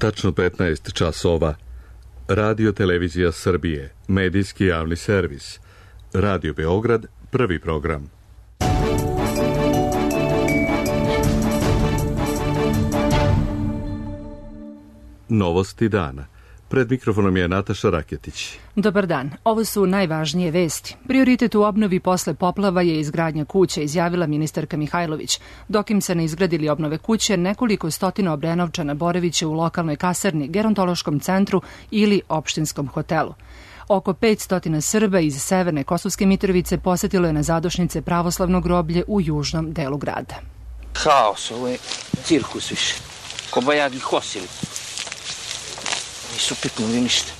Tačno 15 časova. Radio Televizija Srbije, medijski javni servis. Radio Beograd, prvi program. Novosti dana. Pred mikrofonom je Nataša Raketić. Dobar dan. Ovo su najvažnije vesti. Prioritet u obnovi posle poplava je izgradnja kuće, izjavila ministarka Mihajlović. Dok im se ne izgradili obnove kuće, nekoliko stotina Obrenovčana boraviće u lokalnoj kasarni, gerontološkom centru ili opštinskom hotelu. Oko 500 Srba iz severne Kosovske Mitrovice posetilo je na zadošnice pravoslavno groblje u južnom delu grada. Haos, ovo je cirkus više. Ko bajagi hosili. Nisu piknuli ništa.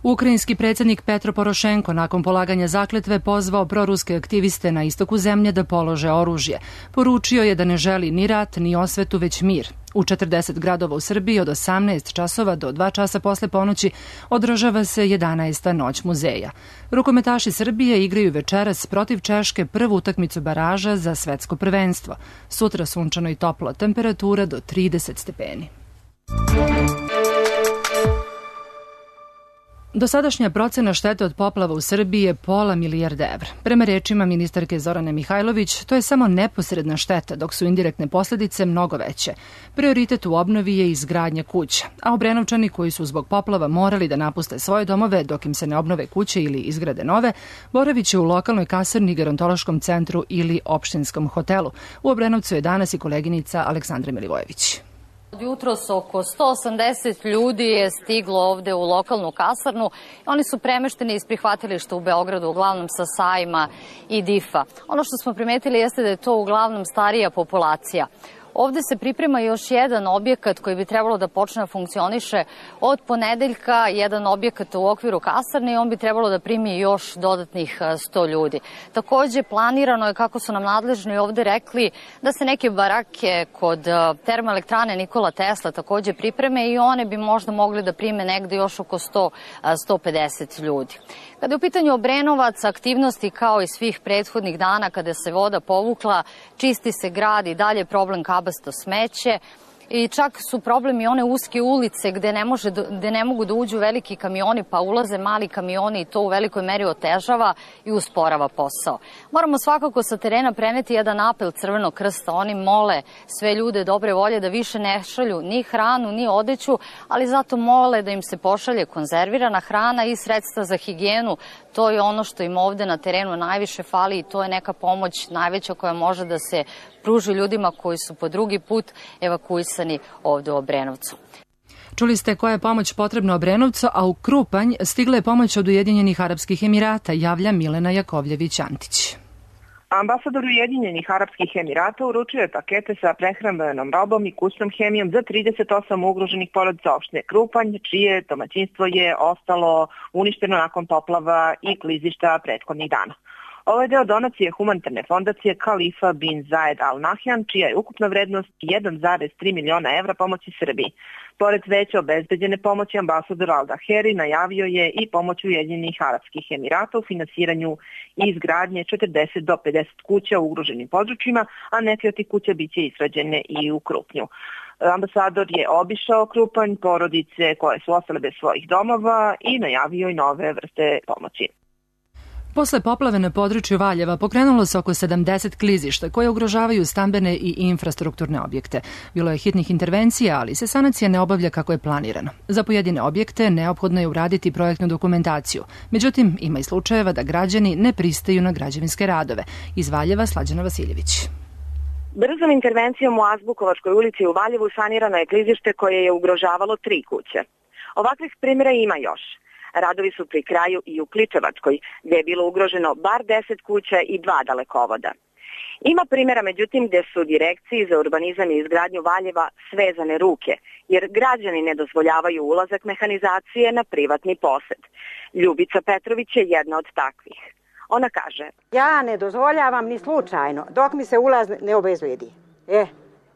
Ukrajinski predsjednik Petro Porošenko nakon polaganja zakletve pozvao proruske aktiviste na istoku zemlje da polože oružje. Poručio je da ne želi ni rat, ni osvetu, već mir. U 40 gradova u Srbiji od 18 časova do 2 časa posle ponoći održava se 11. noć muzeja. Rukometaši Srbije igraju večeras protiv Češke prvu utakmicu baraža za svetsko prvenstvo. Sutra sunčano i toplo, temperatura do 30 stepeni. Dosadašnja procena štete od poplava u Srbiji je $500 milijardi evra. Prema rečima ministarke Zorane Mihajlović, to je samo neposredna šteta, dok su indirektne posljedice mnogo veće. Prioritet u obnovi je izgradnja kuća, a Obrenovčani koji su zbog poplava morali da napuste svoje domove dok im se ne obnove kuće ili izgrade nove, boraviće u lokalnoj kasarni, gerontološkom centru ili opštinskom hotelu. U Obrenovcu je danas i koleginica Aleksandra Milivojević. Jutros oko 180 ljudi je stiglo ovde u lokalnu kasarnu. Oni su premešteni iz prihvatilišta u Beogradu, uglavnom sa Sajma i Difa. Ono što smo primetili jeste da je to uglavnom starija populacija. Ovde se priprema još jedan objekat koji bi trebalo da počne da funkcioniše od ponedeljka, jedan objekat u okviru kasarne i on bi trebalo da primi još dodatnih 100 ljudi. Takođe, planirano je, kako su nam nadležni ovde rekli, da se neke barake kod termoelektrane Nikola Tesla takođe pripreme i one bi možda mogli da prime negde još oko 100-150 ljudi. Kada je u pitanju Obrenovac, aktivnosti kao i svih prethodnih dana kada se voda povukla, čisti se grad i dalje problem kabasto smeće. I čak su problemi one uske ulice gde ne mogu da uđu veliki kamioni pa ulaze mali kamioni i to u velikoj meri otežava i usporava posao. Moramo svakako sa terena preneti jedan apel Crvenog krsta. Oni mole sve ljude dobre volje da više ne šalju ni hranu ni odeću, ali zato mole da im se pošalje konzervirana hrana i sredstva za higijenu. To je ono što im ovde na terenu najviše fali i to je neka pomoć najveća koja može da se pruži ljudima koji su po drugi put evakuisani ovde u Obrenovcu. Čuli ste koja je pomoć potrebna Obrenovcu, a u Krupanj stigla je pomoć od Ujedinjenih Arapskih Emirata, javlja Milena Jakovljević-Antić. Ambasador Ujedinjenih Arapskih Emirata uručio je pakete sa prehrambenom robom i kućnom hemijom za 38 ugroženih porodica opštine Krupanj, čije domaćinstvo je ostalo uništeno nakon poplava i klizišta prethodnih dana. Ovo je deo donacije humanitarne fondacije Khalifa bin Zayed Al Nahyan, čija je ukupna vrednost 1,3 miliona evra pomoći Srbiji. Pored veće obezbeđene pomoći, ambasador Al Daheri najavio je i pomoć Ujedinjenih Arapskih Emirata u finansiranju i izgradnje 40 do 50 kuća u ugroženim područjima, a neke od tih kuća biće izgrađene i u Krupnju. Ambasador je obišao Krupanj, porodice koje su ostale bez svojih domova i najavio i nove vrste pomoći. Posle poplave na području Valjeva pokrenulo se oko 70 klizišta koje ugrožavaju stambene i infrastrukturne objekte. Bilo je hitnih intervencija, ali se sanacija ne obavlja kako je planirano. Za pojedine objekte neophodno je uraditi projektnu dokumentaciju. Međutim, ima i slučajeva da građani ne pristaju na građevinske radove. Iz Valjeva Slađana Vasiljević. Brzom intervencijom u Azbukovačkoj ulici u Valjevu sanirano je klizište koje je ugrožavalo 3 kuće. Ovakvih primjera ima još. Radovi su pri kraju i u Kličevačkoj, gde je bilo ugroženo bar 10 kuća i 2 dalekovoda. Ima primjera, međutim, gde su direkciji za urbanizam i izgradnju Valjeva svezane ruke, jer građani ne dozvoljavaju ulazak mehanizacije na privatni posed. Ljubica Petrović je jedna od takvih. Ona kaže: ja ne dozvoljavam ni slučajno, dok mi se ulaz ne obezbedi.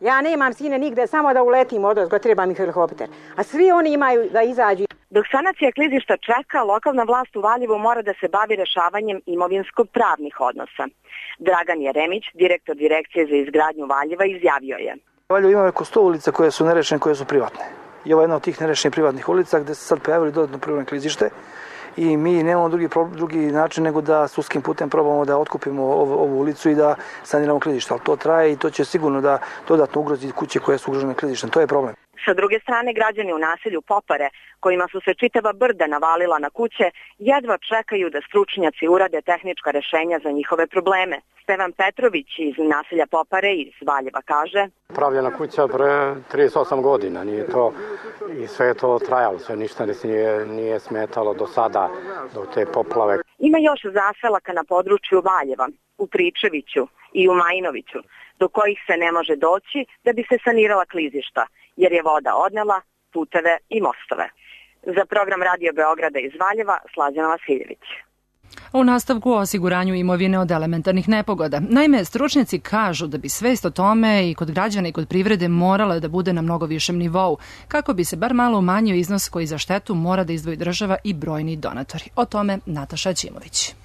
Ja nemam sine nigde, samo da uletim odozgo, treba mi helikopter. A svi oni imaju da izađu. Dok sanacija klizišta čeka, lokalna vlast u Valjevu mora da se bavi rešavanjem imovinsko-pravnih odnosa. Dragan Jeremić, direktor direkcije za izgradnju Valjeva, izjavio je: Valjevo ima oko 100 ulica koje su nerešene, koje su privatne. i ovo je jedna od tih nerešenih privatnih ulica gde se sad pojavili dodatno privatno klizište i mi nemamo drugi način nego da sudskim putem probamo da otkupimo ovu ulicu i da saniramo klizište, ali to traje i to će sigurno da dodatno ugrozi kuće koje su ugrožene klizištem. To je problem. Sa druge strane, građani u naselju Popare, kojima su se čitava brda navalila na kuće, jedva čekaju da stručnjaci urade tehnička rešenja za njihove probleme. Stevan Petrović iz naselja Popare iz Valjeva kaže: Pravljena kuća pre 38 godina, nije to, i sve je to trajalo, sve ništa nije smetalo do sada, do te poplave. Ima još zaselaka na području Valjeva, u Tričeviću i u Majinoviću, do kojih se ne može doći da bi se sanirala klizišta, jer je voda odnela puteve i mostove. Za program Radio Beograda iz Valjeva, Slađana Vasiljević. U nastavku o osiguranju imovine od elementarnih nepogoda. Naime, stručnjaci kažu da bi svest o tome i kod građana i kod privrede morala da bude na mnogo višem nivou, kako bi se bar malo umanjio iznos koji za štetu mora da izdvoji država i brojni donatori. O tome Nataša Ćimović.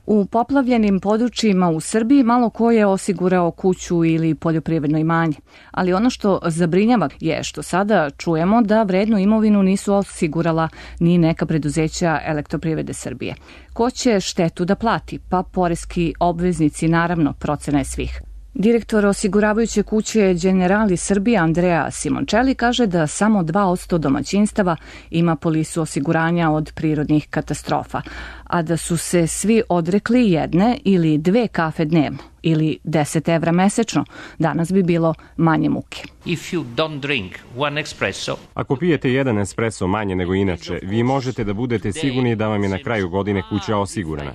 U poplavljenim područjima u Srbiji malo ko je osigurao kuću ili poljoprivredno imanje. Ali ono što zabrinjava je što sada čujemo da vrednu imovinu nisu osigurala ni neka preduzeća Elektroprivrede Srbije. Ko će štetu da plati? Pa poreski obveznici, naravno, procena je svih. Direktor osiguravajuće kuće Generali Srbije Andreja Simončeli kaže da samo 2% domaćinstava ima polisu osiguranja od prirodnih katastrofa, a da su se svi odrekli jedne ili 2 kafe dnevno ili 10 evra mesečno, danas bi bilo manje muke. Ako pijete jedan espresso manje nego inače, vi možete da budete sigurni da vam je na kraju godine kuća osigurana.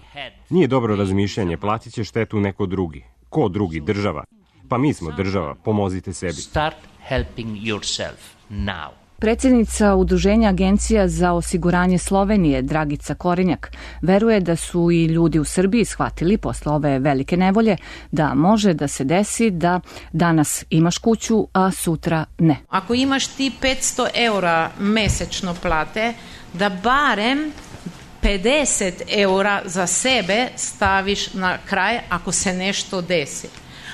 Nije dobro razmišljanje, platit će štetu neko drugi. Ko drugi? Država. Pa mi smo država, pomozite sebi. Start helping yourself now. Predsjednica Udruženja agencija za osiguranje Slovenije, Dragica Korenjak, veruje da su i ljudi u Srbiji shvatili posle ove velike nevolje da može da se desi da danas imaš kuću, a sutra ne. Ako imaš ti 500 eura mesečno plate, da barem 50 eura za sebe staviš na kraj ako se nešto desi.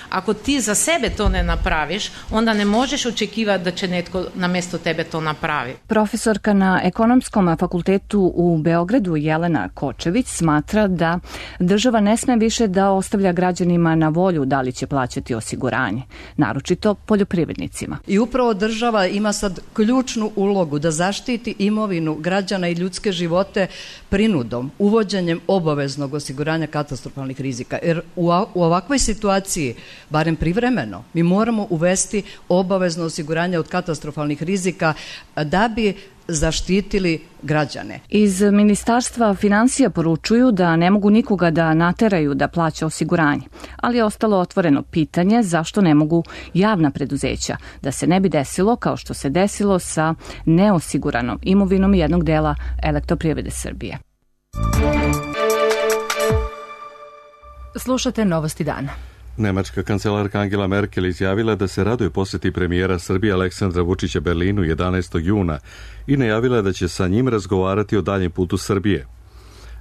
Ako ti za sebe to ne napraviš, onda ne možeš očekivati da će netko na mjesto tebe to napravi. Profesorka na Ekonomskom fakultetu u Beogradu Jelena Kočević smatra da država ne sme više da ostavlja građanima na volju da li će plaćati osiguranje, naročito poljoprivrednicima. I upravo država ima sad ključnu ulogu da zaštiti imovinu građana i ljudske živote prinudom, uvođenjem obaveznog osiguranja katastrofalnih rizika. Jer u ovakvoj situaciji, barem privremeno, mi moramo uvesti obavezno osiguranje od katastrofalnih rizika da bi zaštitili građane. Iz Ministarstva finansija poručuju da ne mogu nikoga da nateraju da plaća osiguranje, ali je ostalo otvoreno pitanje zašto ne mogu javna preduzeća, da se ne bi desilo kao što se desilo sa neosiguranom imovinom jednog dela Elektroprivrede Srbije. Slušate Novosti dana. Nemačka kancelarka Angela Merkel izjavila da se raduje posjeti premijera Srbije Aleksandra Vučića Berlinu 11. juna i najavila da će sa njim razgovarati o daljem putu Srbije.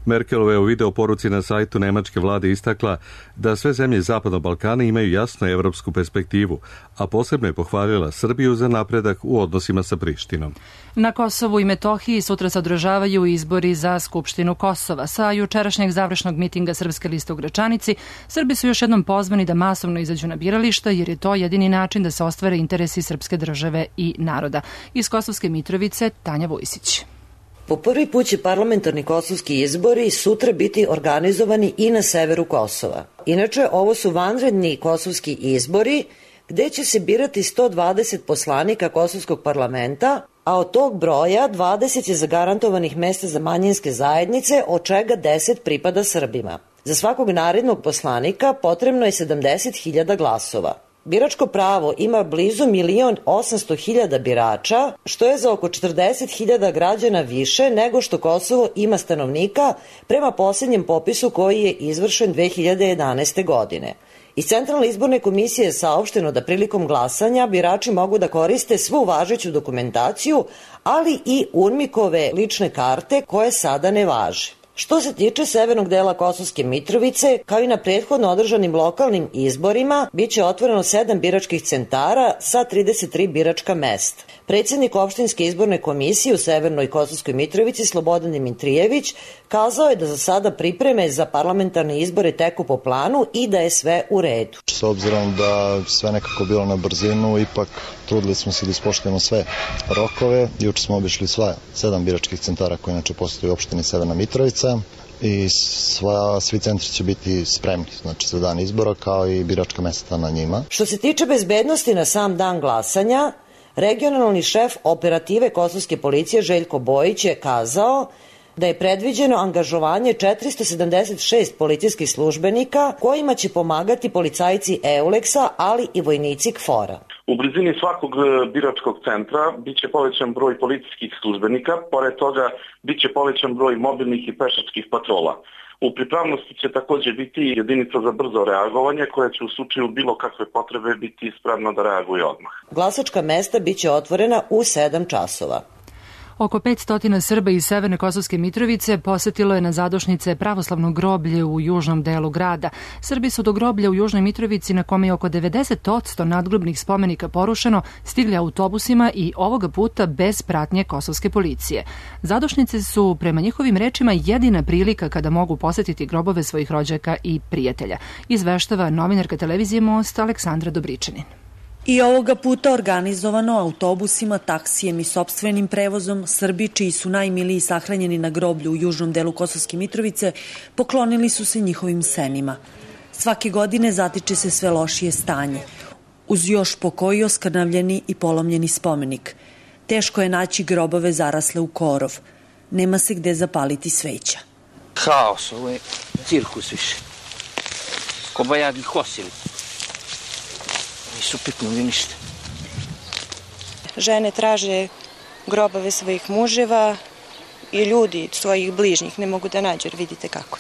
Merkelova je u video poruci na sajtu nemačke vlade istakla da sve zemlje Zapadnog Balkana imaju jasnu evropsku perspektivu, a posebno je pohvalila Srbiju za napredak u odnosima sa Prištinom. Na Kosovu i Metohiji sutra se održavaju izbori za Skupštinu Kosova. Sa jučerašnjeg završnog mitinga Srpske liste u Gračanici, Srbi su još jednom pozvani da masovno izađu na birališta, jer je to jedini način da se ostvare interesi srpske države i naroda. Iz Kosovske Mitrovice, Tanja Vujsić. Po prvi put će parlamentarni kosovski izbori sutra biti organizovani i na severu Kosova. Inače, ovo su vanredni kosovski izbori gde će se birati 120 poslanika kosovskog parlamenta, a od tog broja 20 je zagarantovanih mesta za manjinske zajednice, od čega 10 pripada Srbima. Za svakog narednog poslanika potrebno je 70.000 glasova. Biračko pravo ima blizu 1.800.000 birača, što je za oko 40.000 građana više nego što Kosovo ima stanovnika prema posljednjem popisu koji je izvršen 2011. godine. Iz Centralne izborne komisije je saopšteno da prilikom glasanja birači mogu da koriste svu važeću dokumentaciju, ali i UNMIK-ove lične karte koje sada ne važe. Što se tiče severnog dela Kosovske Mitrovice, kao i na prethodno održanim lokalnim izborima, biće otvoreno 7 biračkih centara sa 33 biračka mesta. Predsjednik opštinske izborne komisije u Severnoj Kosovskoj Mitrovici Slobodan Dimitrijević kazao je da za sada pripreme za parlamentarne izbore teku po planu i da je sve u redu. S obzirom da sve nekako bilo na brzinu, ipak trudili smo se da ispoštujemo sve rokove. Juče smo obišli 7 biračkih centara koje inače postoji u opštini Severna Mitrovica i svi centri će biti spremni, znači za dan izbora kao i biračka mesta na njima. Što se tiče bezbednosti na sam dan glasanja, regionalni šef operative Kosovske policije Željko Bojić je kazao da je predviđeno angažovanje 476 policijskih službenika kojima će pomagati policajci EULEX-a, ali i vojnici KFOR-a. U blizini svakog biračkog centra biće povećan broj policijskih službenika, pored toga biće povećan broj mobilnih i pešačkih patrola. U pripravnosti će također biti jedinica za brzo reagovanje koja će u slučaju bilo kakve potrebe biti spremna da reaguje odmah. Glasačka mesta biće otvorena u 7 časova. Oko 500 Srba iz Severne Kosovske Mitrovice posetilo je na zadošnice pravoslavno groblje u južnom delu grada. Srbi su do groblja u Južnoj Mitrovici, na kome je oko 90% nadgrobnih spomenika porušeno, stigli autobusima i ovoga puta bez pratnje kosovske policije. Zadošnice su, prema njihovim rečima, jedina prilika kada mogu posetiti grobove svojih rođaka i prijatelja. Izveštava novinarka televizije Most Aleksandra Dobričanin. I ovoga puta organizovano autobusima, taksijem i sopstvenim prevozom, Srbi, čiji su najmiliji sahranjeni na groblju u južnom delu Kosovske Mitrovice, poklonili su se njihovim senima. Svake godine zatiče se sve lošije stanje. Uz još po koji oskrnavljeni i polomljeni spomenik. Teško je naći grobove zarasle u korov. Nema se gde zapaliti sveća. Haos, ovo je cirkus više. Kobajagi hosili. Nisu piknuli ništa. Žene traže grobove svojih muževa i ljudi svojih bližnjih ne mogu da nađu, jer vidite kako.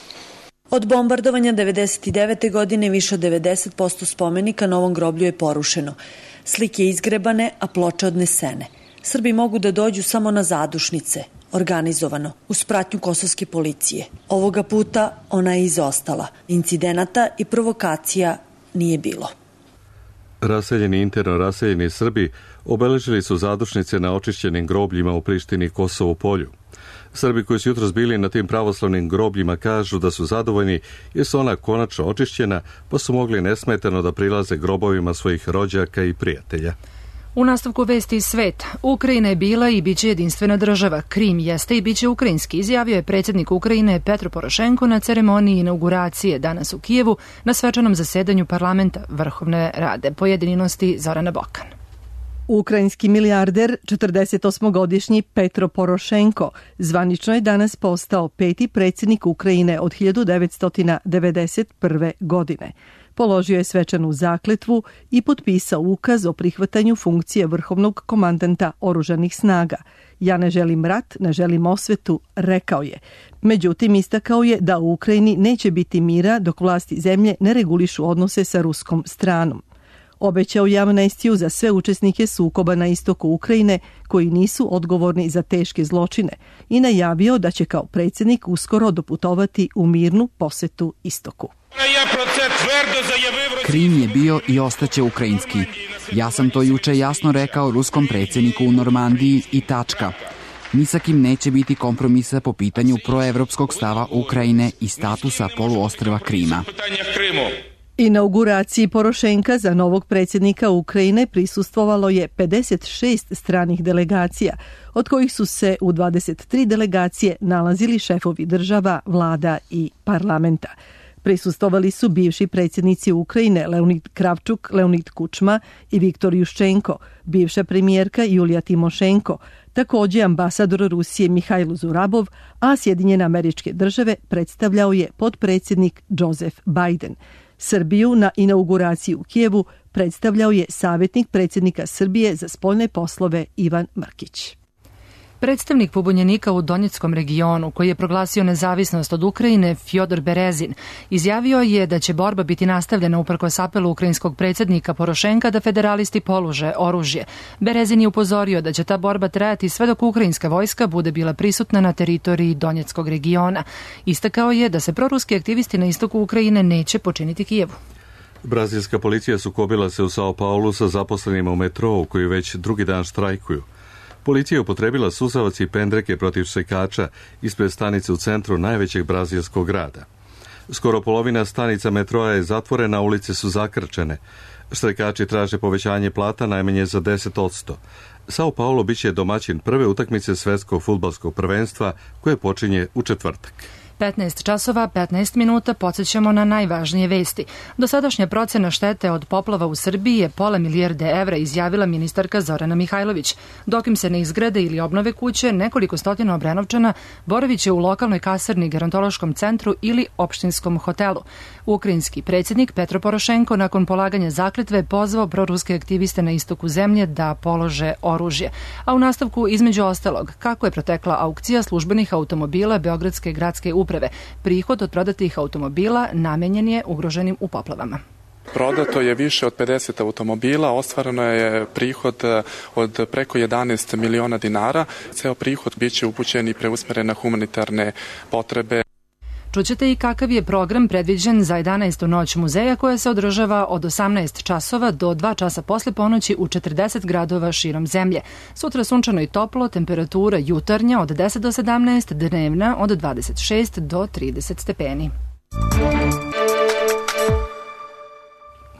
Od bombardovanja 1999. godine više od 90% spomenika na ovom groblju je porušeno. Slike izgrebane, a ploče odnesene. Srbi mogu da dođu samo na zadušnice, organizovano, uz pratnju kosovske policije. Ovoga puta ona je izostala. Incidenata i provokacija nije bilo. Raseljeni i interno raseljeni Srbi obeležili su zadušnice na očišćenim grobljima u Prištini i Kosovu polju. Srbi koji su jutros bili na tim pravoslavnim grobljima kažu da su zadovoljni jer su ona konačno očišćena, pa su mogli nesmetano da prilaze grobovima svojih rođaka i prijatelja. U nastavku vesti iz sveta, Ukrajina je bila i biće jedinstvena država. Krim jeste i biće ukrajinski, izjavio je predsjednik Ukrajine Petro Porošenko na ceremoniji inauguracije danas u Kijevu na svečanom zasedanju parlamenta Vrhovne rade. Pojedinosti Zorana Bokan. Ukrajinski milijarder, 48-godišnji Petro Porošenko, zvanično je danas postao 5. predsjednik Ukrajine od 1991. godine. Položio je svečanu zakletvu i potpisao ukaz o prihvatanju funkcije vrhovnog komandanta oružanih snaga. Ja ne želim rat, ne želim osvetu, rekao je. Međutim, istakao je da u Ukrajini neće biti mira dok vlasti zemlje ne regulišu odnose sa ruskom stranom. Obećao je amnestiju za sve učesnike sukoba na istoku Ukrajine koji nisu odgovorni za teške zločine i najavio da će kao predsjednik uskoro doputovati u mirnu posetu istoku. Krim je bio i ostaće ukrajinski. Ja sam to juče jasno rekao ruskom predsjedniku u Normandiji i tačka. Ni sa kim neće biti kompromisa po pitanju proevropskog stava Ukrajine i statusa poluostrva Krima. Inauguraciji Porošenka za novog predsjednika Ukrajine prisustvovalo je 56 stranih delegacija, od kojih su se u 23 delegacije nalazili šefovi država, vlada i parlamenta. Prisustvovali su bivši predsjednici Ukrajine Leonid Kravčuk, Leonid Kučma i Viktor Juščenko, bivša premijerka Julija Timošenko, također ambasador Rusije Mihajlo Zurabov, a Sjedinjene Američke Države predstavljao je potpredsjednik Joseph Biden. Srbiju na inauguraciji u Kijevu predstavljao je savjetnik predsjednika Srbije za spoljne poslove Ivan Mrkić. Predstavnik pobunjenika u Donjeckom regionu, koji je proglasio nezavisnost od Ukrajine, Fjodor Berezin, izjavio je da će borba biti nastavljena uprkos apelu ukrajinskog predsjednika Porošenka da federalisti polože oružje. Berezin je upozorio da će ta borba trajati sve dok ukrajinska vojska bude bila prisutna na teritoriji Donjeckog regiona. Istakao je da se proruski aktivisti na istoku Ukrajine neće počiniti Kijevu. Brazilska policija sukobila se u Sao Paulu sa zaposlenima u metrou koji već drugi dan štrajkuju. Policija je upotrebila suzavac i pendreke protiv štrajkača ispred stanice u centru najvećeg brazilskog grada. Skoro polovina stanica metroa je zatvorena, ulice su zakrčene. Štrajkači traže povećanje plata najmanje za 10%. Sao Paulo biće domaćin prve utakmice svetskog fudbalskog prvenstva koje počinje u četvrtak. 15 časova, 15 minuta, podsjećamo na najvažnije vesti. Dosadašnja procena štete od poplava u Srbiji je £500 milijarde evra, izjavila ministarka Zorana Mihajlović. Dok im se ne izgrade ili obnove kuće, nekoliko stotina Obrenovčana boraviće u lokalnoj kasarni, gerontološkom centru ili opštinskom hotelu. Ukrajinski predsjednik Petro Porošenko nakon polaganja zakletve pozvao proruske aktiviste na istoku zemlje da polože oružje. A u nastavku, između ostalog, kako je protekla aukcija službenih automobila Beogradske gradske uprave. Prihod od prodatih automobila namenjen je ugroženim u poplavama. Prodato je više od 50 automobila, ostvareno je prihod od preko 11 miliona dinara. Ceo prihod biće upućen i preusmeren na humanitarne potrebe. Čućete i kakav je program predviđen za 11. noć muzeja koja se održava od 18 časova do 2 časa posle ponoći u 40 gradova širom zemlje. Sutra sunčano i toplo, temperatura jutarnja od 10 do 17, dnevna od 26 do 30 stepeni.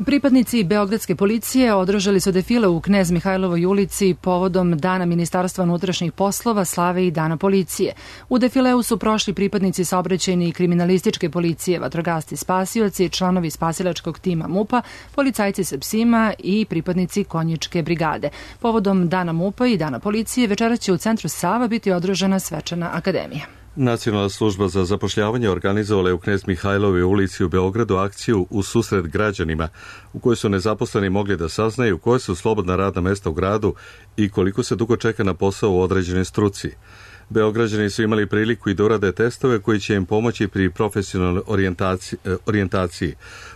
Pripadnici Beogradske policije održali su defile u Knez Mihajlovoj ulici povodom Dana Ministarstva unutrašnjih poslova, slave i Dana policije. U defileu su prošli pripadnici saobraćajne i kriminalističke policije, vatrogasci spasioci, članovi spasilačkog tima MUP-a, policajci sa psima i pripadnici konjičke brigade. Povodom Dana MUP-a i Dana policije večeras će u centru Sava biti održana svečana akademija. Nacionalna služba za zapošljavanje organizovala je u Knez Mihajlovoj ulici u Beogradu akciju u susret građanima u kojoj su nezaposleni mogli da saznaju koje su slobodna radna mesta u gradu i koliko se dugo čeka na posao u određenoj struci. Beograđani su imali priliku i da urade testove koji će im pomoći pri profesionalnoj orijentaciji.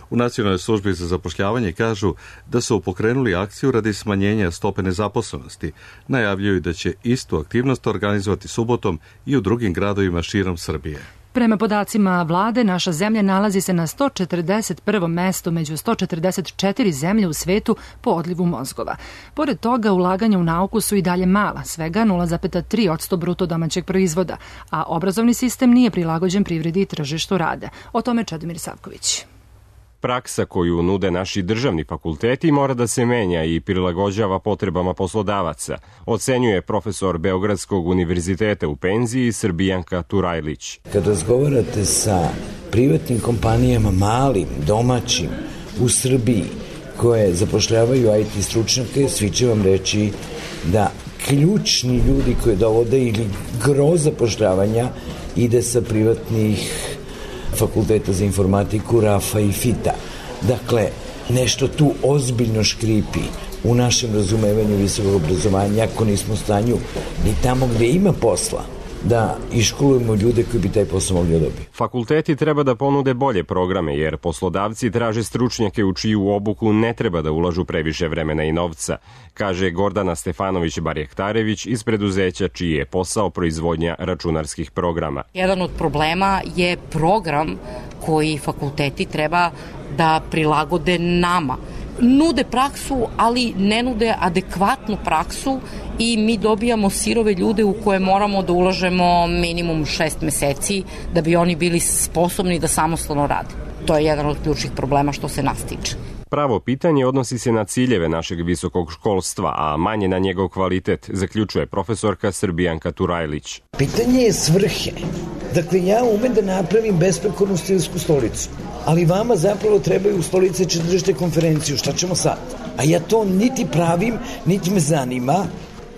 U Nacionalnoj službi za zapošljavanje kažu da su pokrenuli akciju radi smanjenja stope nezaposlenosti. Najavljuju da će istu aktivnost organizovati subotom i u drugim gradovima širom Srbije. Prema podacima vlade, naša zemlja nalazi se na 141. mestu među 144 zemlje u svetu po odlivu mozgova. Pored toga, ulaganja u nauku su i dalje mala, svega 0,3% bruto domaćeg proizvoda, a obrazovni sistem nije prilagođen privredi i tržištu rada. O tome Čedomir Savković. Praksa koju nude naši državni fakulteti mora da se menja i prilagođava potrebama poslodavaca, ocenjuje profesor Beogradskog univerziteta u penziji Srbijanka Turajlić. Kad razgovarate sa privatnim kompanijama, malim, domaćim, u Srbiji, koje zapošljavaju IT stručnjake, svi će vam reći da ključni ljudi koje dovode ili gro zapošljavanja ide sa privatnih fakulteta za informatiku, RAFA i FITA. Dakle, nešto tu ozbiljno škripi u našem razumevanju visokog obrazovanja, ako nismo u stanju ni tamo gde ima posla, da iškolujemo ljude koji bi taj posao mogli dobiti. Fakulteti treba da ponude bolje programe, jer poslodavci traže stručnjake u čiju obuku ne treba da ulažu previše vremena i novca, kaže Gordana Stefanović-Barjektarević iz preduzeća čiji je posao proizvodnja računarskih programa. Jedan od problema je program koji fakulteti treba da prilagode nama. Nude praksu, ali ne nude adekvatnu praksu i mi dobijamo sirove ljude u koje moramo da ulažemo minimum 6 meseci da bi oni bili sposobni da samostalno rade. To je jedan od ključnih problema što se nas tiče. Pravo pitanje odnosi se na ciljeve našeg visokog školstva, a manje na njegov kvalitet, zaključuje profesorka Srbijanka Turajlić. Pitanje je svrhe. Dakle, ja umem da napravim besprekornu stilsku stolicu, ali vama zapravo trebaju stolice, će držite konferenciju, šta ćemo sad? A ja to niti pravim, niti me zanima.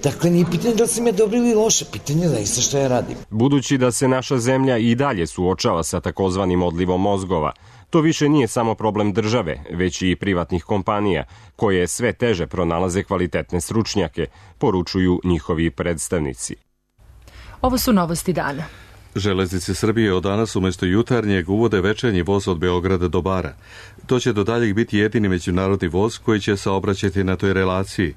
Dakle, nije pitanje da li sam ja dobro ili loše, pitanje je zaista šta ja radim. Budući da se naša zemlja i dalje suočava sa takozvanim odlivom mozgova, to više nije samo problem države, već i privatnih kompanija, koje sve teže pronalaze kvalitetne stručnjake, poručuju njihovi predstavnici. Ovo su novosti dana. Železnice Srbije od danas umjesto jutarnjeg uvode večernji voz od Beograda do Bara. To će do daljeg biti jedini međunarodni voz koji će saobraćati na toj relaciji.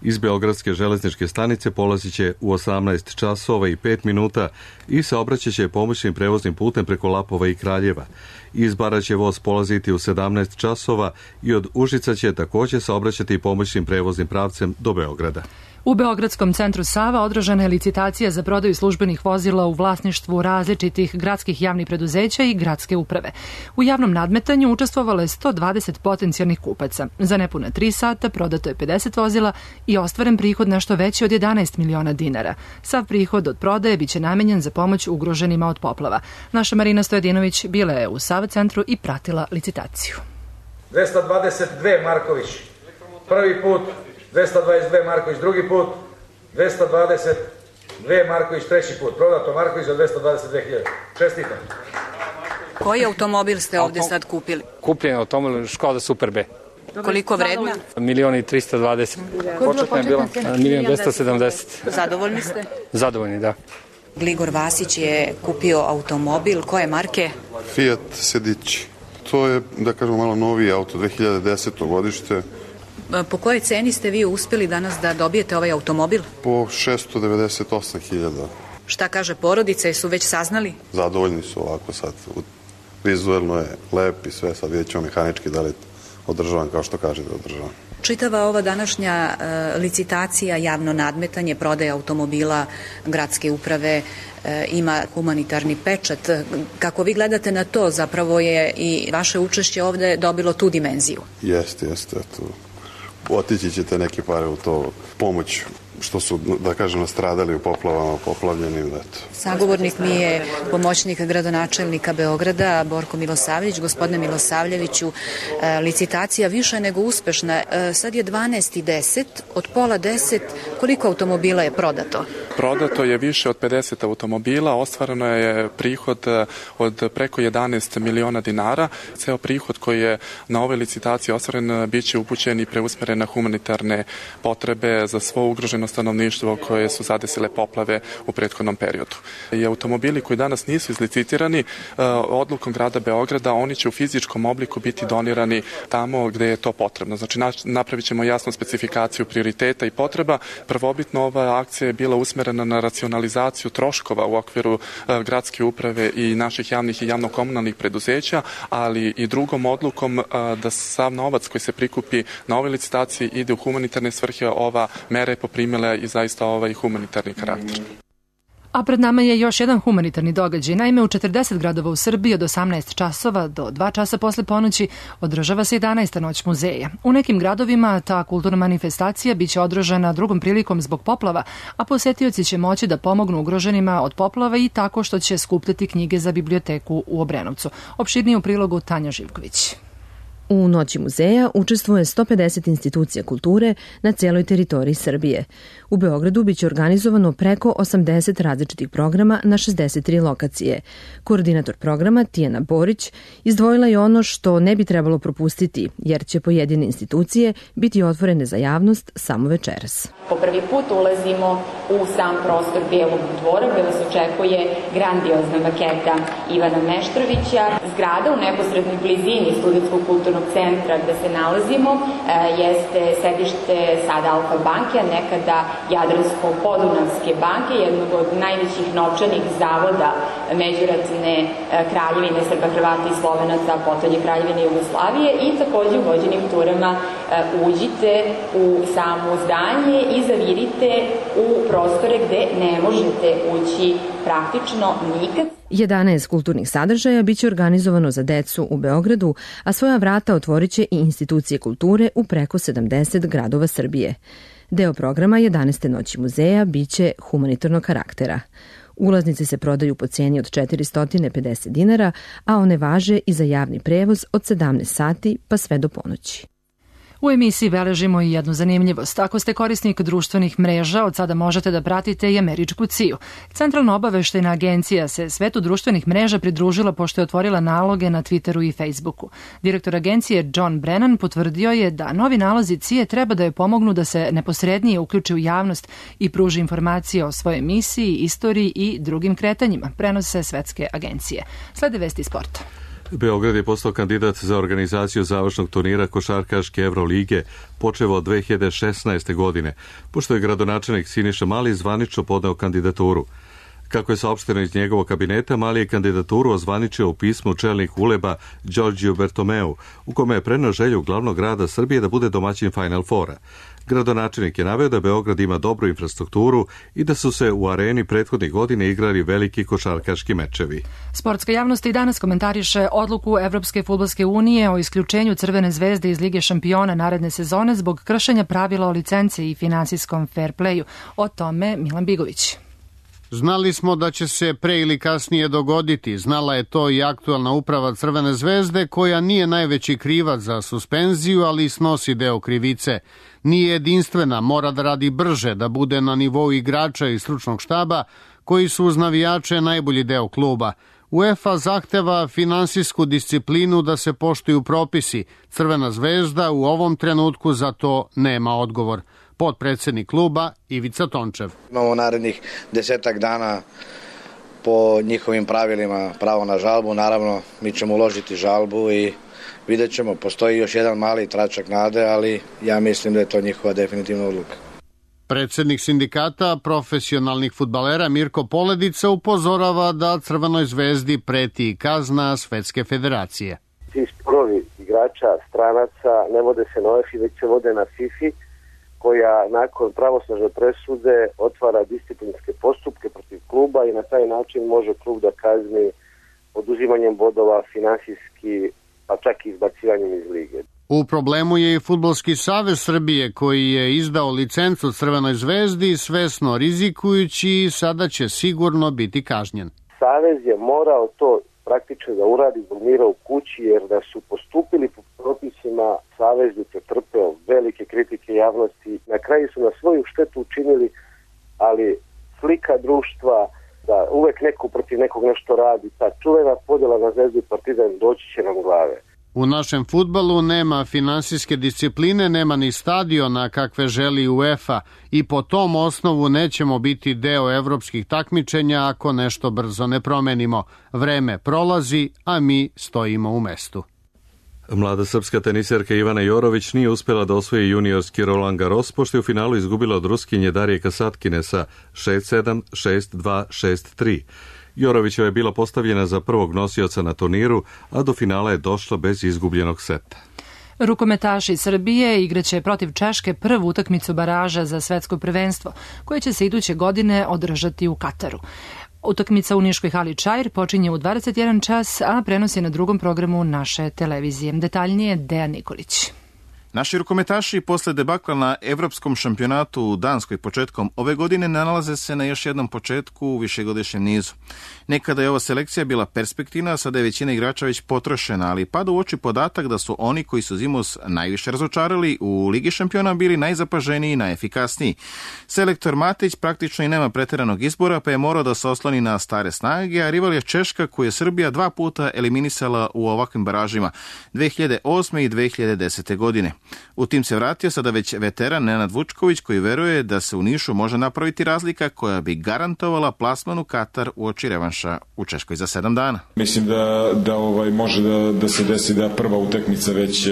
Iz Beogradske železničke stanice polazit će u 18 časova i 5 minuta i saobraćat će pomoćnim prevoznim putem preko Lapova i Kraljeva. Iz Bara će voz polaziti u 17 časova i od Užica će također saobraćati pomoćnim prevoznim pravcem do Beograda. U Beogradskom centru Sava održana je licitacija za prodaju službenih vozila u vlasništvu različitih gradskih javnih preduzeća i gradske uprave. U javnom nadmetanju učestvovalo je 120 potencijalnih kupaca. Za nepuna 3 sata prodato je 50 vozila i ostvaren prihod nešto veći od 11 miliona dinara. Sav prihod od prodaje biće namenjen za pomoć ugroženima od poplava. Naša Marina Stojedinović bila je u Sava centru i pratila licitaciju. 222 Marković prvi put, 222 Marković drugi put, 222 Marković treći put. Prodato Marković za 222.000. Čestitam. Koji automobil ste ovdje sad kupili? Kupljen automobil Škoda Super B. Koliko vredna? 1.320.000. Početna je bila 1.270.000. Zadovoljni ste? Zadovoljni, da. Gligor Vasić je kupio automobil. Koje marke? Fiat Sedici. To je, da kažemo, malo noviji auto, 2010. godište. Po kojoj ceni ste vi uspjeli danas da dobijete ovaj automobil? Po 698.000. Šta kaže porodica, su već saznali? Zadovoljni su ovako sad. Vizuelno je lep i sve, sad vidjet ćemo mehanički da li održavam kao što kaže da održavam. Čitava ova današnja licitacija, javno nadmetanje, prodaja automobila, gradske uprave ima humanitarni pečat. Kako vi gledate na to, zapravo je i vaše učešće ovdje dobilo tu dimenziju? Jeste. Otići ćete neke pare u to pomoć što su, da kažem, nastradali u poplavama, poplavljenim. Sagovornik mi je pomoćnik gradonačelnika Beograda, Borko Milosavljević. Gospodine Milosavljeviću, licitacija više nego uspešna. Sad je 12:10, od pola 10, koliko automobila je prodato? Prodato je više od 50 automobila, ostvareno je prihod od preko 11 miliona dinara. Ceo prihod koji je na ovoj licitaciji ostvaren bit će upućen i preusmeren na humanitarne potrebe za svo ugroženo stanovništvo koje su zadesile poplave u prethodnom periodu. I automobili koji danas nisu izlicitirani odlukom grada Beograda, oni će u fizičkom obliku biti donirani tamo gde je to potrebno. Znači napravit ćemo jasnu specifikaciju prioriteta i potreba. Prvobitno ova akcija je bila usmerena na racionalizaciju troškova u okviru gradske uprave i naših javnih i javno-komunalnih preduzeća, ali i drugom odlukom da sav novac koji se prikupi na ovoj licitaciji ide u humanitarne svrhe. Ova mera je poprimila i zaista ovaj humanitarni karakter. A pred nama je još jedan humanitarni događaj. Naime, u 40 gradova u Srbiji od 18 časova do 2 časa posle ponoći održava se 11. noć muzeja. U nekim gradovima ta kulturna manifestacija biće održana drugom prilikom zbog poplava, a posetioci će moći da pomognu ugroženima od poplava i tako što će skupljati knjige za biblioteku u Obrenovcu. Opširnije u prilogu Tanja Živković. U Noći muzeja učestvuje 150 institucija kulture na cijeloj teritoriji Srbije. U Beogradu biće organizovano preko 80 različitih programa na 63 lokacije. Koordinator programa Tijana Borić izdvojila je ono što ne bi trebalo propustiti, jer će pojedine institucije biti otvorene za javnost samo večeras. Po prvi put ulazimo u sam prostor Bijelog dvora, gde nas očekuje grandiozna maketa Ivana Meštrovića. Zgrada u neposrednoj blizini Studentskog kulturnog centra gde se nalazimo jeste sedište sada Alfa banke, a nekada Jadransko-Podunavske banke, jednog od najvećih novčanih zavoda međuratne kraljevine Srba, Hrvata i Slovenaca, a potom Kraljevine Jugoslavije, i takođe u vođenim turama uđite u samo zdanje i zavirite u prostore gde ne možete ući praktično nikad. 11 kulturnih sadržaja biće organizovano za decu u Beogradu, a svoja vrata otvorit će i institucije kulture u preko 70 gradova Srbije. Deo programa 11. noći muzeja biće humanitarnog karaktera. Ulaznice se prodaju po cijeni od 450 dinara, a one važe i za javni prevoz od 17 sati pa sve do ponoći. U emisiji beležimo i jednu zanimljivost. Ako ste korisnik društvenih mreža, od sada možete da pratite i američku CIA. Centralna obaveštajna agencija se svetu društvenih mreža pridružila pošto je otvorila naloge na Twitteru i Facebooku. Direktor agencije John Brennan potvrdio je da novi nalozi CIA treba da je pomognu da se neposrednije uključi u javnost i pruži informacije o svojoj misiji, istoriji i drugim kretanjima, prenose svetske agencije. Slede vesti sporta. Beograd je postao kandidat za organizaciju završnog turnira košarkaške Evrolige počev od 2016. godine, pošto je gradonačelnik Siniša Mali zvanično podneo kandidaturu. Kako je saopšteno iz njegovog kabineta, Mali je kandidaturu ozvaničio u pismu čelnik Uleba Đorđiju Bertomeu, u kome je preneo želju glavnog grada Srbije da bude domaćin Final Fora. Gradonačelnik je naveo da Beograd ima dobru infrastrukturu i da su se u areni prethodnih godina igrali veliki košarkaški mečevi. Sportska javnost i danas komentariše odluku Evropske fudbalske unije o isključenju Crvene zvezde iz Lige šampiona naredne sezone zbog kršenja pravila o licenci i finansijskom fair playu. O tome Milan Bigović. Znali smo da će se pre ili kasnije dogoditi. Znala je to i aktualna uprava Crvene zvezde, koja nije najveći krivac za suspenziju, ali snosi deo krivice. Nije jedinstvena, mora da radi brže, da bude na nivou igrača i stručnog štaba, koji su uz navijače najbolji deo kluba. UEFA zahteva finansijsku disciplinu, da se poštuju propisi. Crvena zvezda u ovom trenutku za to nema odgovor. Potpredsednik kluba Ivica Tončev. Imamo narednih 10 dana po njihovim pravilima pravo na žalbu. Naravno, mi ćemo uložiti žalbu i vidjet ćemo. Postoji još jedan mali tračak nade, ali ja mislim da je to njihova definitivna odluka. Predsednik sindikata profesionalnih fudbalera Mirko Poledica upozorava da Crvenoj zvezdi preti kazna Svetske federacije. Ti sporovi igrača, stranaca ne vode se na UEFA, već se vode na FIFA, koja nakon pravosnažne presude otvara disciplinske postupke protiv kluba i na taj način može klub da kazni oduzimanjem bodova, finansijski, pa čak i izbacivanjem iz lige. U problemu je i Fudbalski savez Srbije, koji je izdao licencu Crvenoj zvezdi, svesno rizikujući i sada će sigurno biti kažnjen. Savez je morao to praktično da uradi zbog mira u kući, jer da su postupili po propisima, savez bi pretrpeo velike kritike javnosti. Na kraju su na svoju štetu učinili, ali slika društva da uvek neko protiv nekog nešto radi, ta čuvena podjela na Zvezdu i Partizan doći će nam glave. U našem fudbalu nema finansijske discipline, nema ni stadiona kakve želi UEFA i po tom osnovu nećemo biti deo evropskih takmičenja ako nešto brzo ne promenimo. Vreme prolazi, a mi stojimo u mestu. Mlada srpska teniserka Ivana Jorović nije uspjela da osvoji juniorski Roland Garros, pošto je u finalu izgubila od Ruskinje Darije Kasatkine sa 6-7, 6-2, 6-3. Jorovićeva je bila postavljena za prvog nosioca na turniru, a do finala je došla bez izgubljenog seta. Rukometaši Srbije igraće protiv Češke prvu utakmicu baraža za svetsko prvenstvo, koje će se iduće godine održati u Kataru. Utakmica u Niškoj hali Čair počinje u 21 čas, a prenos je na drugom programu naše televizije. Detaljnije Dejan Nikolić. Naši rukometaši posle debakla na Evropskom šampionatu u Danskoj početkom ove godine nalaze se na još jednom početku u višegodišnjem nizu. Nekada je ova selekcija bila perspektivna, sada je većina igrača već potrošena, ali pada u oči podatak da su oni koji su zimus najviše razočarali u Ligi šampiona bili najzapaženiji i najefikasniji. Selektor Matić praktično i nema preteranog izbora, pa je morao da se osloni na stare snage, a rival je Češka, koju je Srbija 2 puta eliminisala u ovakvim baražima, 2008. i 2010. godine. U tim se vratio sada već veteran Nenad Vučković, koji veruje da se u Nišu može napraviti razlika koja bi garantovala plasman u Katar uoči revanša u Češkoj za 7 dana. Mislim da može da se desi da prva utakmica već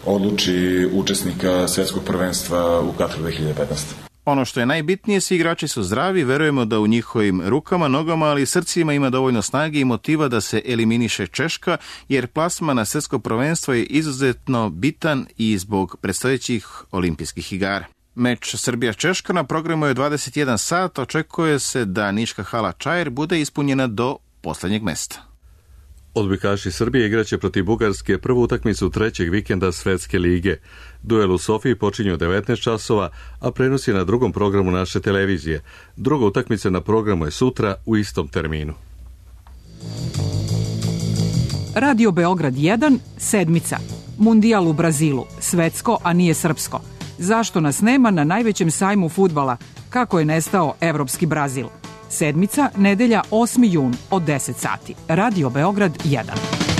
odluči učesnika svetskog prvenstva u Kataru 2015. Ono što je najbitnije, svi igrači su zdravi, verujemo da u njihovim rukama, nogama, ali i srcima ima dovoljno snage i motiva da se eliminiše Češka, jer plasman na svetsko prvenstvo je izuzetno bitan i zbog predstojećih olimpijskih igara. Meč Srbija-Češka na programu je 21 sat, očekuje se da Niška hala Čair bude ispunjena do poslednjeg mesta. Odbojkaši Srbije igraće protiv Bugarske prvu utakmicu trećeg vikenda Svetske lige. Duel u Sofiji počinje u 19 časova, a prenos je na drugom programu naše televizije. Druga utakmica na programu je sutra u istom terminu. Radio Beograd 1, sedmica. Mundijal u Brazilu, svetsko, a nije srpsko. Zašto nas nema na najvećem sajmu fudbala? Kako je nestao evropski Brazil? Sedmica, nedelja, 8. jun od 10 sati. Radio Beograd 1.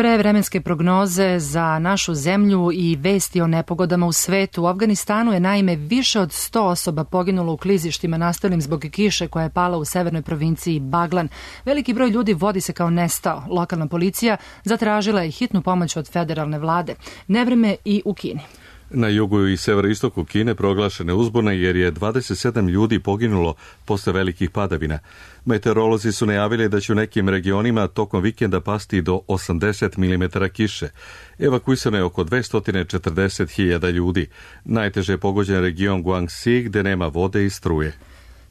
Pre vremenske prognoze za našu zemlju i vesti o nepogodama u svetu. U Afganistanu je naime više od 100 osoba poginulo u klizištima nastalim zbog kiše koja je pala u severnoj provinciji Baglan. Veliki broj ljudi vodi se kao nestao. Lokalna policija zatražila je hitnu pomoć od federalne vlade. Nevreme i u Kini. Na jugu i severoistoku Kine proglašene uzbune jer je 27 ljudi poginulo posle velikih padavina. Meteorolozi su najavili da će u nekim regionima tokom vikenda pasti do 80 mm kiše. Evakuisano je oko 240.000 ljudi. Najteže je pogođen region Guangxi gde nema vode i struje.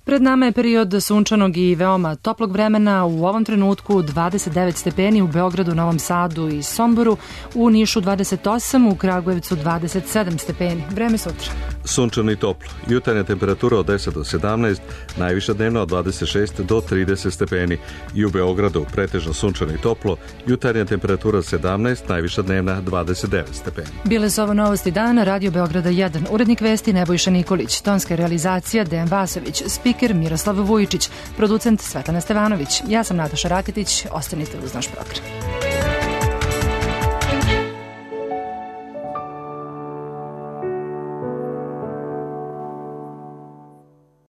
Pred nama je period sunčanog i veoma toplog vremena. U ovom trenutku 29 stepeni u Beogradu, Novom Sadu i Somboru, u Nišu 28, u Kragujevcu 27 stepeni. Vreme sutra. Sunčano i toplo. Jutarnja temperatura od 10 do 17, najviša dnevna od 26 do 30 stepeni. I u Beogradu pretežno sunčano i toplo. Jutarnja temperatura 17, najviša dnevna 29 stepeni. Bile su ovo novosti dana, Radio Beograda 1. Urednik vesti Nebojša Nikolić. Tonska realizacija Dejan Vasović. Spiker Miroslav Vujičić. Producent Svetlana Stevanović. Ja sam Nataša Raketić. Ostanite uz naš program.